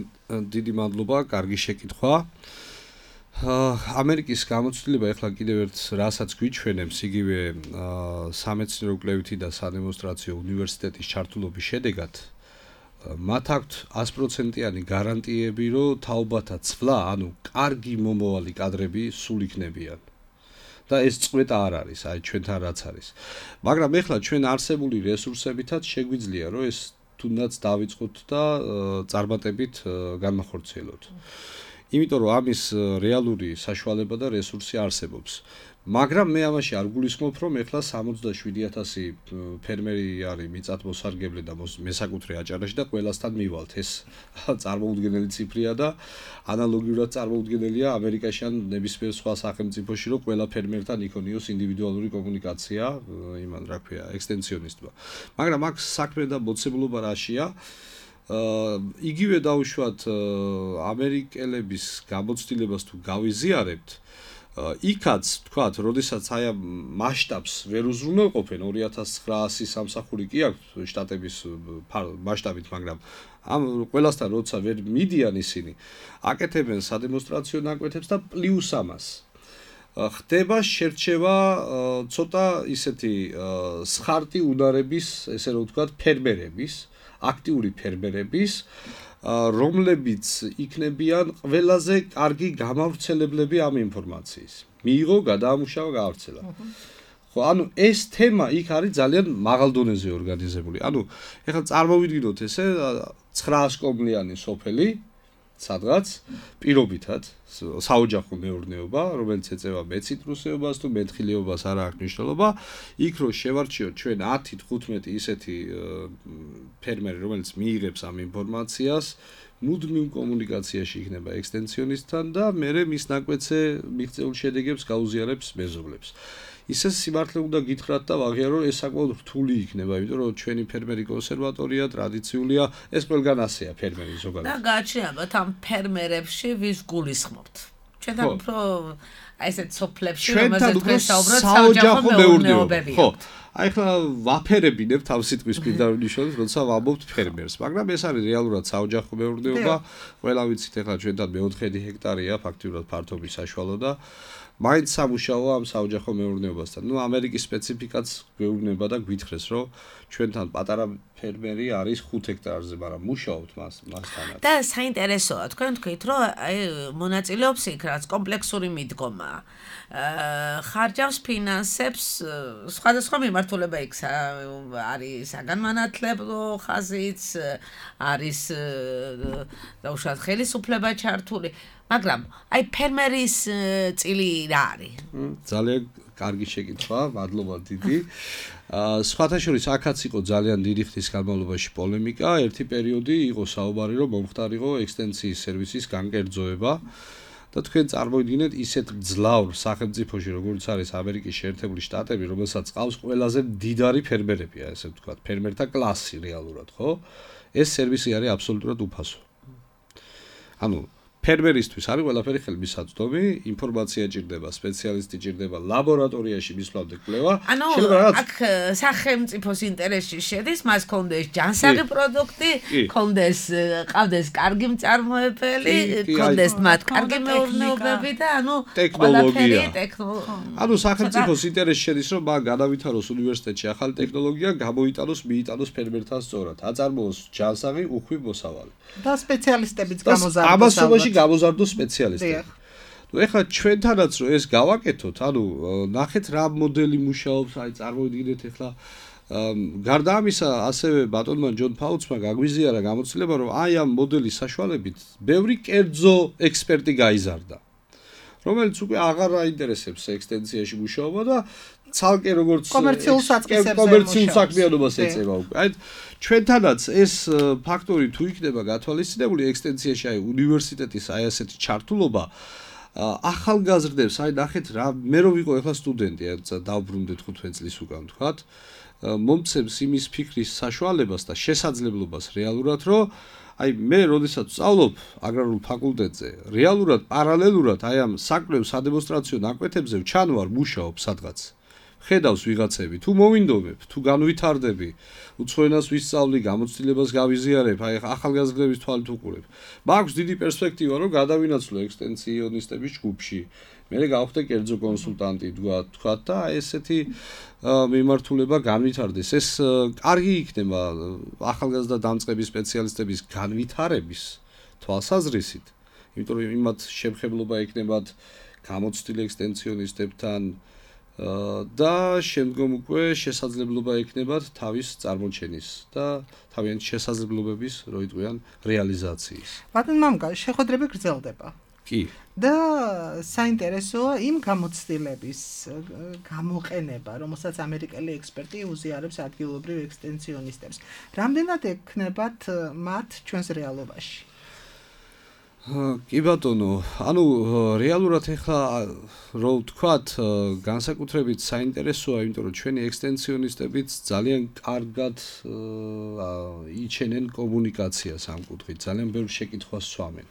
დიდი მადლობა, კარგი შეკითხვა. ამერიკის გამოცდილება ეხლა კიდევ ერთ რასაც გვიჩვენებს, იგივე სამეცნიერო კვლევითი და სადემონსტრაციო უნივერსიტეტის ჩართულობის შედეგად მათ აქვთ 100%-იანი გარანტიები, რომ თაობათა ცვლა, ანუ კარგი მომავალი კადრები სულ იქნებიან. და ეს წვეტა არ არის, აი ჩვენთან რაც არის. მაგრამ ეხლა ჩვენ არსებული რესურსებითაც შეგვიძლია, რომ ეს თუნდაც დავიწყოთ და წარმატებით განმახორციელოთ. იმიტომ რომ ამის რეალური საშუალება და რესურსი არსებობს. მაგრამ მე ამაში არ გულისხმობ, რომ ეხლა 67,000 ფერმერი არის მიწათმოსარგებლე და მესაკუთრე აჭარაში და ყველასთან მივალთ. ეს წარმოუდგენელი ციფრია და ანალოგიურად წარმოუდგენელია ამერიკაში ან ნებისმიერ სხვა სახელმწიფოში, რომ ყველა ფერმერთან იქონიოს ინდივიდუალური კომუნიკაცია, იმან რა ქვია, ექსტენციონისტმა. მაგრამ აქ საქმე და მოცემულობა რაშია? იგივე დავუშვათ ამერიკელების გამოცდილებას თუ გავიზიარებთ, იქაც თქვათ, როდესაც აი ამ მასშტაბს ვერ უზრუნველყოფენ 2900 სამსახური კი აქვს შტატების მასშტაბით, მაგრამ ამ ყველასთან როცა ვერ მიდიან ისინი, აკეთებენ სადემონსტრაციო ნაკვეთებს და პლუს ამას ხდება შერჩევა ცოტა ისეთი სხარტი უნარების, ესე რომ ვთქვათ, ფერმერების, აქტიური ფერმერების, რომლებიც იქნებიან ყველაზე კარგი გამავრცელებლები ამ ინფორმაციის. მიიღო, გადაამუშავა, გაავრცელა. ხო, ანუ ეს თემა იქ არის ძალიან მაღალ დონეზე ორგანიზებული. ანუ ეხლა წარმოვიდგინოთ ესე 900 კომლიანი სოფელი სადღაც პირობითად საოჯახო მეურნეობა, რომელიც ეწევა მეციტრუსეობას თუ მეთხილიობას არ აქვს მნიშვნელობა, იქ რო შევარჩიოთ ჩვენ 10-15 ისეთი ფერმერი, რომელიც მიიღებს ამ ინფორმაციას, მუდმივ კომუნიკაციაში იქნება ექსტენსიონისტთან და მერე მის ნაკვეთზე მიღწეულ შედეგებს გაუზიარებს მეზობლებს. ისე სიმართლე უნდა გითხრათ და ვაღიარო, ეს საკმაოდ რთული იქნება, იმიტომ რომ ჩვენი ფერმერი კონსერვატორია, ტრადიციულია, ეს ყველგან ასეა ფერმერი ზოგადად. და გააჩნიათ ამ ფერმერებში ვის გულისხმობთ. ჩვენთან უფრო აი ესეთ სოფლებში, რომელზეც ვესაუბროთ, საოჯახო მეურნეობები. ხო. აი ხლა ვაფერებინებთ ამ სიტყვის პირდაპირ ნიშნავს, როცა ვამბობთ ფერმერს, მაგრამ ეს არის რეალურად საოჯახო მეურნეობა. ყველა ვიცით ეხლა ჩვენთან მე-4 ჰექტარია ფაქტიურად ფართობის საშუალო და მაინც სამუშაოა ამ საოჯახო მეურნეობასთან. ნუ ამერიკის სპეციფიკაც გვეუბნება და გვითხრეს, რომ ჩვენთან პატარა ფერმერი არის 5 ჰექტარზე, მაგრამ მუშაობთ მასთანაც. და საინტერესოა, თქვენ თქვით, რომ აი მონაწილეობს იქ რაც კომპლექსური მიდგომა. ხარჯავს ფინანსებს სხვადასხვა მიმართულება იქ არის საგანმანათლებლო ხაზიც, არის დაუშვათ ხელისუფლება ჩართული. მაგრამ აი ფერმერის წილი რა არის? ძალიან კარგი შეკითხვა, მადლობა დიდი. სხვათა შორის აქაც იყო ძალიან დიდი ხნის განმავლობაში პოლემიკა, ერთი პერიოდი იყო საუბარი, რომ მომხდარიყო ექსტენსიის სერვისის განკერძოება. და თქვენ წარმოიდგინეთ ისეთ ძლავრ სახელმწიფოში, როგორც არის ამერიკის შეერთებული შტატები, რომელსაც ყავს ყველაზე მდიდარი ფერმერებია, ესე ვთქვათ, ფერმერთა კლასი რეალურად, ხო? ეს სერვისი არის აბსოლუტურად უფასო. ანუ ფერმერისთვის არის ყველაფერი ხელმისაწვდომი, ინფორმაცია ჭირდება, სპეციალისტი ჭირდება, ლაბორატორიაში მისვლამდე კვლევა. ანუ აქ სახელმწიფოს ინტერესში შედის, მას კონდეს ჯანსაღი პროდუქტი, კონდეს ყავდეს კარგი მწარმოებელი, კონდეს მათ კარგი მეურნეობები და ანუ ტექნოლოგია. ანუ სახელმწიფოს ინტერესში შედის, რომ მან განავითაროს უნივერსიტეტში ახალი ტექნოლოგია, გამოიტანოს, მიიტანოს ფერმერთან სწორად, აწარმოოს ჯანსაღი, უხვი მოსავალი. და სპეციალისტებიც გამოზარდოს. ამასობაში გამოზარდოს სპეციალისტები. ნუ ეხლა ჩვენთანაც რომ ეს გავაკეთოთ, ანუ ნახეთ რა მოდელი მუშაობს, აი წარმოიდგინეთ ეხლა გარდა ამისა, ასევე ბატონმა ჯონ ფაუცმა გაგვიზიარა გამოცდილება, რომ აი ამ მოდელის საშუალებით ბევრი კერძო ექსპერტი გაიზარდა, რომელიც უკვე აღარ აინტერესებს ექსტენსიაში მუშაობა და ცალკე როგორც კომერციულ საქმიანობას ეწევა უკვე. აი ჩვენთანაც ეს ფაქტორი თუ იქნება გათვალისწინებული ექსტენსიაში, აი უნივერსიტეტის აი ასეთი ჩართულობა ახალგაზრდებს, აი ნახეთ რა, მე რო ვიყო ეხლა სტუდენტი, დავბრუნდე 15 წლის უკან თქვათ, მომცემს იმის ფიქრის საშუალებას და შესაძლებლობას რეალურად, რომ აი მე როდესაც ვსწავლობ აგრარულ ფაკულტეტზე, რეალურად პარალელურად აი ამ საკვლევ სადემონსტრაციო ნაკვეთებზე ვჩანვარ, მუშაობ სადღაც. ხედავს ვიღაცები, თუ მოვინდომებ, თუ განვითარდები, უცხოენას ვისწავლი, გამოცდილებას გავიზიარებ, აი ახალგაზრდების თვალით უყურებ. მაქვს დიდი პერსპექტივა, რომ გადავინაცვლო ექსტენსიონისტების ჯგუფში. მე გავხდე კერძო კონსულტანტი, თქვა და ესეთი მიმართულება განვითარდეს. ეს კარგი იქნება ახალგაზრდა დამწყების სპეციალისტების განვითარების თვალსაზრისით, იმიტომ რომ იმათ შემხებლობა ექნებათ გამოცდილ ექსტენსიონისტებთან და შემდგომ უკვე შესაძლებლობა ექნებათ თავის წარმოჩენის და თავიანთი შესაძლებლობების რო იტყვიან რეალიზაციის. ბატონ მამკა, შეხვედრები გრძელდება. კი. და საინტერესოა იმ გამოცდილების გამოყენება, რომელსაც ამერიკელი ექსპერტი უზიარებს ადგილობრივ ექსტენსიონისტებს. რამდენად ექნებათ მათ ჩვენს რეალობაში? კი ბატონო, ანუ რეალურად ეხლა რო ვთქვათ, განსაკუთრებით საინტერესოა, იმიტომ რომ ჩვენი ექსტენსიონისტებიც ძალიან კარგად იჩენენ კომუნიკაციას ამ კუთხით, ძალიან ბევრ შეკითხვას სვამენ.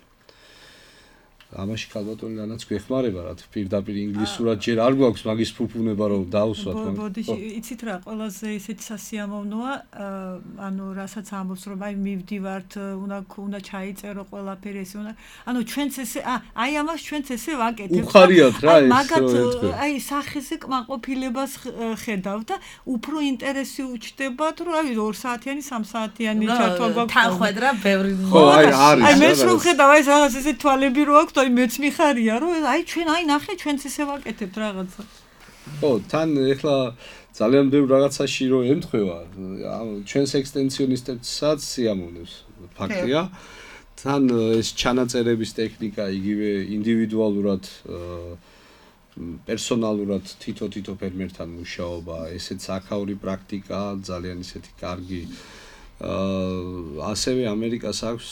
ამაში ქალბატონი რანაც გვეხმარება რა პირდაპირ ინგლისურად ჯერ არ გვაქვს მაგის ფუფუნება რომ დავუსვათ ბოდიში იცით რა ყველაზე ისეთი სასიამოვნოა ანუ რასაც ამბობს რომ აი მივდივართ უნდა ჩაიწერო ყველაფერი ეს უნდა ანუ ჩვენც ესე აი ამას ჩვენც ესე ვაკეთებთ უხარიათ რა ეს მაგათ აი სახეზე კმაყოფილებას ხედავ და უფრო ინტერესი უჩნდებათ რომ აი 2 საათიანი 3 საათიანი ჩართვა გვაქვს თანხwebdriver ბევრი ხო აი არის აი მეც რომ ხედავ აი რაღაც ესე თვალები რო აქვს აი მეც მიხარია რომ აი ჩვენ აი ნახე ჩვენც ესე ვაკეთებთ რაღაცა ხო თან ეხლა ძალიან ბევრ რაღაცაში რო ემთხვევა ჩვენს ექსტენსიონისტებსაც სიამოვნებს ფაქტია თან ეს ჩანაწერების ტექნიკა იგივე ინდივიდუალურად პერსონალურად თითო ფერმერთან მუშაობა ესეც აქაური პრაქტიკა ძალიან ისეთი კარგი ასევე ამერიკას აქვს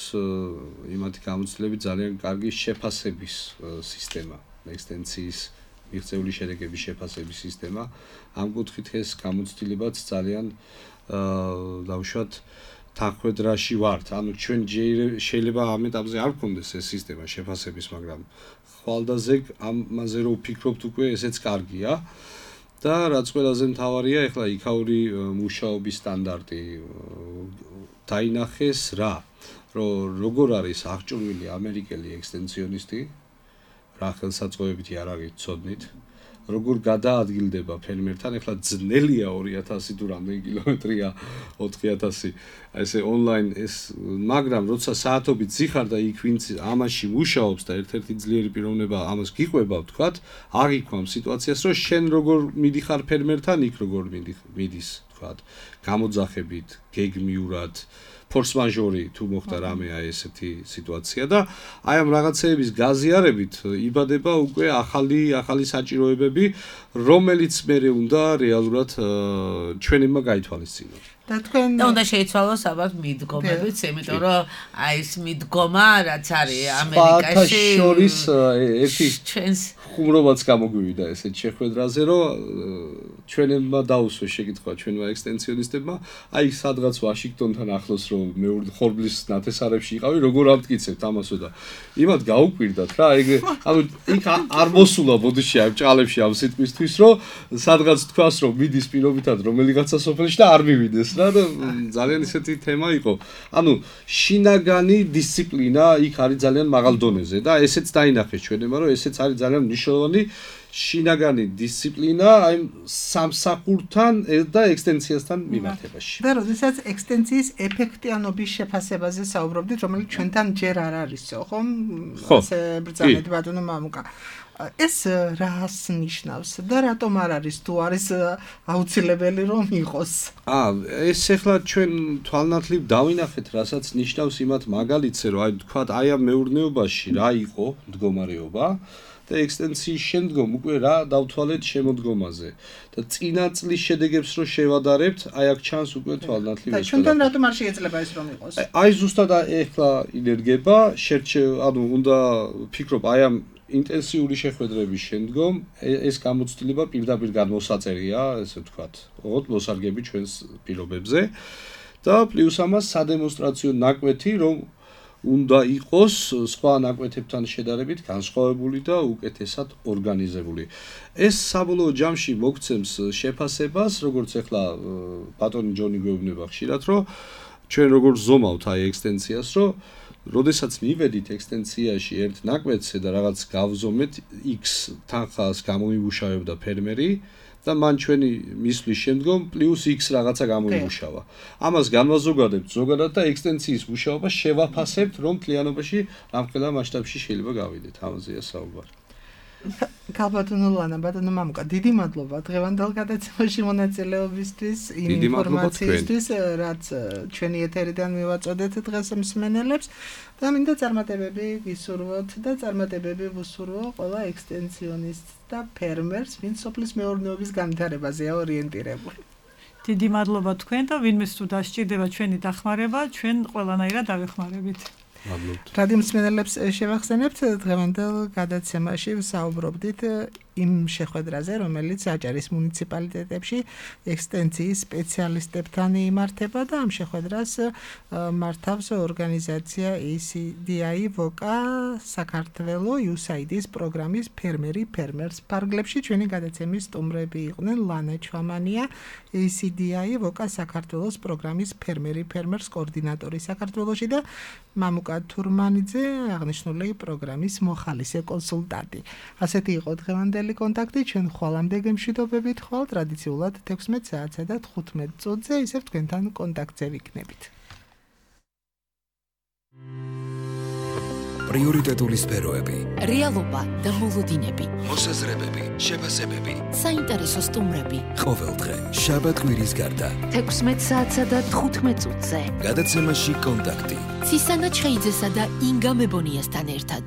იმათი გამოცდილებით ძალიან კარგი შეფასების სისტემა ექსტენსიის მიღწეული შედეგების შეფასების სისტემა ამ კუთხით ეს გამოცდილებაც ძალიან დავუშვათ თანხwebdriverში ვართ ანუ ჩვენ შეიძლება ამ ეტაპზე არ გქონდეს ეს სისტემა შეფასების მაგრამ ხვალდაზე ამაზე რო ვფიქრობთ უკვე ესეც კარგია და რაც ყველაზე მთავარია ეხლა იქაური მუშაობის სტანდარტი დაინახეს რა რომ როგორ არის აღჭურვილი ამერიკელი ექსტენსიონისტი რა ხელსაწყოებითი არ აღიცოდნით როგორ გადაადგილდება ფერმერთან ეხლა ძნელია 2000 თუ რამდენი კილომეტრია 4000 ესე ონლაინ ეს მაგრამ როცა საათობით ზიხარ და იქ ვინც ამაში მუშაობს და ერთ-ერთი ძლიერი პიროვნება ამას გიყვება ვთქვათ აღიქვამ სიტუაციას რომ შენ როგორ მიდიხარ ფერმერთან იქ როგორ მიდის ვთქვათ გამოძახებით გეგმიურად ფორს-მაჟორი თუ მოხდა რამე აი ესეთი სიტუაცია და აი ამ რაღაცეების გაზიარებით იბადება უკვე ახალი საჭიროებები რომელიც მერე უნდა რეალურად ჩვენებმა გაითვალისწინოთ და თქვენ უნდა შეიცვალოს ალბათ მიდგომებიც იმიტომ რომ აი ეს მიდგომა რაც არის ამერიკაში შორის ერთი ჩვენს ხუმრობაც გამოგვივიდა ესეთ შეხვედრაზე რომ ჩვენებმა დაუსვეს შეკითხვა ჩვენმა ექსტენსიონისტებმა აი სადღაც ვაშინგტონთან ახლოს რომ მეორე ხორბლის ნათესარებში იყავი როგორ ამტკიცებთ ამასო და იმათ გაუკვირდათ რა ეგ ანუ იქ არ მოსულა ბოდიში აი ჭალებში ამ სიტყვისთვის რომ სადღაც თქვას რომ მიდის პირობითად რომელიღაცა სოფელში და არ მივიდეს რა და ძალიან ისეთი თემა იყო ანუ შინაგანი დისციპლინა იქ არის ძალიან მაღალ დონეზე და ესეც დაინახეს ჩვენებმა რომ ესეც არის ძალიან მნიშვნელოვანი შინაგანი დისციპლინა აი სამსახურთან და ექსტენსიასთან მიმართებაში. და როდესაც ექსტენსიის ეფექტიანობის შეფასებაზე საუბრობდით, რომელიც ჩვენთან ჯერ არ არისო, ხომ? ასე ბრძანეთ ბატონო მამუკა. ეს რას ნიშნავს და რატომ არ არის თუ არის აუცილებელი რომ იყოს? ეს ახლა ჩვენ თვალნათლივ დავინახეთ, რასაც ნიშნავს იმათ მაგალითზე, რომ აი თქვათ აი ამ მეურნეობაში რა იყო მდგომარეობა და ექსტენსიის შემდგომ უკვე რა დავთვალეთ შემოდგომაზე და წინა წლის შედეგებს რო შევადარებთ, აი აქ ჩანს უკვე თვალნათლივ ეს. ჩვენთან რატომ არ შეიძლება ეს რომ იყოს? აი ზუსტად ეხლა ინერგება, ანუ უნდა ფიქრობ აი ამ ინტენსიური შეხვედრების შემდგომ ეს გამოცდილება პირდაპირ გადმოსაწერია, ესე ვთქვათ, ოღონდ მოსარგები ჩვენს პირობებზე და პლუს ამას სადემონსტრაციო ნაკვეთი, რომ უნდა იყოს სხვა ნაკვეთებთან შედარებით განსხვავებული და უკეთესად ორგანიზებული. ეს საბოლოო ჯამში მოგცემს შეფასებას, როგორც ახლა ბატონი ჯონი გვეუბნება ხშირად, რომ ჩვენ როგორ ზომავთ აი ექსტენსიას, რომ როდესაც მივედით ექსტენსიაში ერთ ნაკვეთზე და რაღაც გავზომეთ X თანხას გამოიმუშავებდა ფერმერი და მან ჩვენი მისვლის შემდგომ პლუს X რაღაცა გამოიმუშავა. ამას განვაზოგადებთ ზოგადად და ექსტენსიის მუშაობა შევაფასებთ, რომ მთლიანობაში რამხელა მასშტაბში შეიძლება გავიდეთ. ამაზეა საუბარი. ქალბატონო ლანა, ბატონო მამუკა, დიდი მადლობა დღევანდელ გადაცემაში მონაწილეობისთვის, იმ ინფორმაციისთვის, რაც ჩვენი ეთერიდან მივაწოდეთ დღეს მსმენელებს და მინდა წარმატებები გისურვოთ და წარმატებები ვუსურვო ყველა ექსტენსიონისტს და ფერმერს, ვინც სოფლის მეურნეობის განვითარებაზეა ორიენტირებული. დიდი მადლობა თქვენ და ვინმეს თუ დასჭირდება ჩვენი დახმარება, ჩვენ ყველანაირად დავეხმარებით. რადიო მსმენელებს შევახსენებთ დღევანდელ გადაცემაში ვსაუბრობდით იმ შეხვედრაზე, რომელიც აჭარის მუნიციპალიტეტებში ექსტენსიის სპეციალისტებთან იმართება და ამ შეხვედრას მართავს ორგანიზაცია ACDI VOCA საქართველო USAID-ის პროგრამის ფერმერი ფერმერს. ფარგლებში ჩვენი გადაცემის სტუმრები იყვნენ ლანა ჩვამანია, ACDI VOCA საქართველოს პროგრამის ფერმერი ფერმერს კოორდინატორი საქართველოში და მამუკა თურმანიძე, აღნიშნული პროგრამის მოხალისე კონსულტანტი. ასეთი იყო დღევანდელი კონტაქტი, ჩვენ ხვალამდე გემშვიდობებით ხვალ ტრადიციულად 16 საათსა და 15 წუთზე ისევ თქვენთან კონტაქტზე ვიქნებით. პრიორიტეტული სფეროები, რეალობა და მოლოდინები, მოსაზრებები, შეფასებები, საინტერესო სტუმრები. ყოველდღე შაბათ კვირის გარდა 16 საათსა და 15 წუთზე. გადაცემაში კონტაქტი. ცისანა ჩხეიძესა და ინგა მებონიასთან ერთად.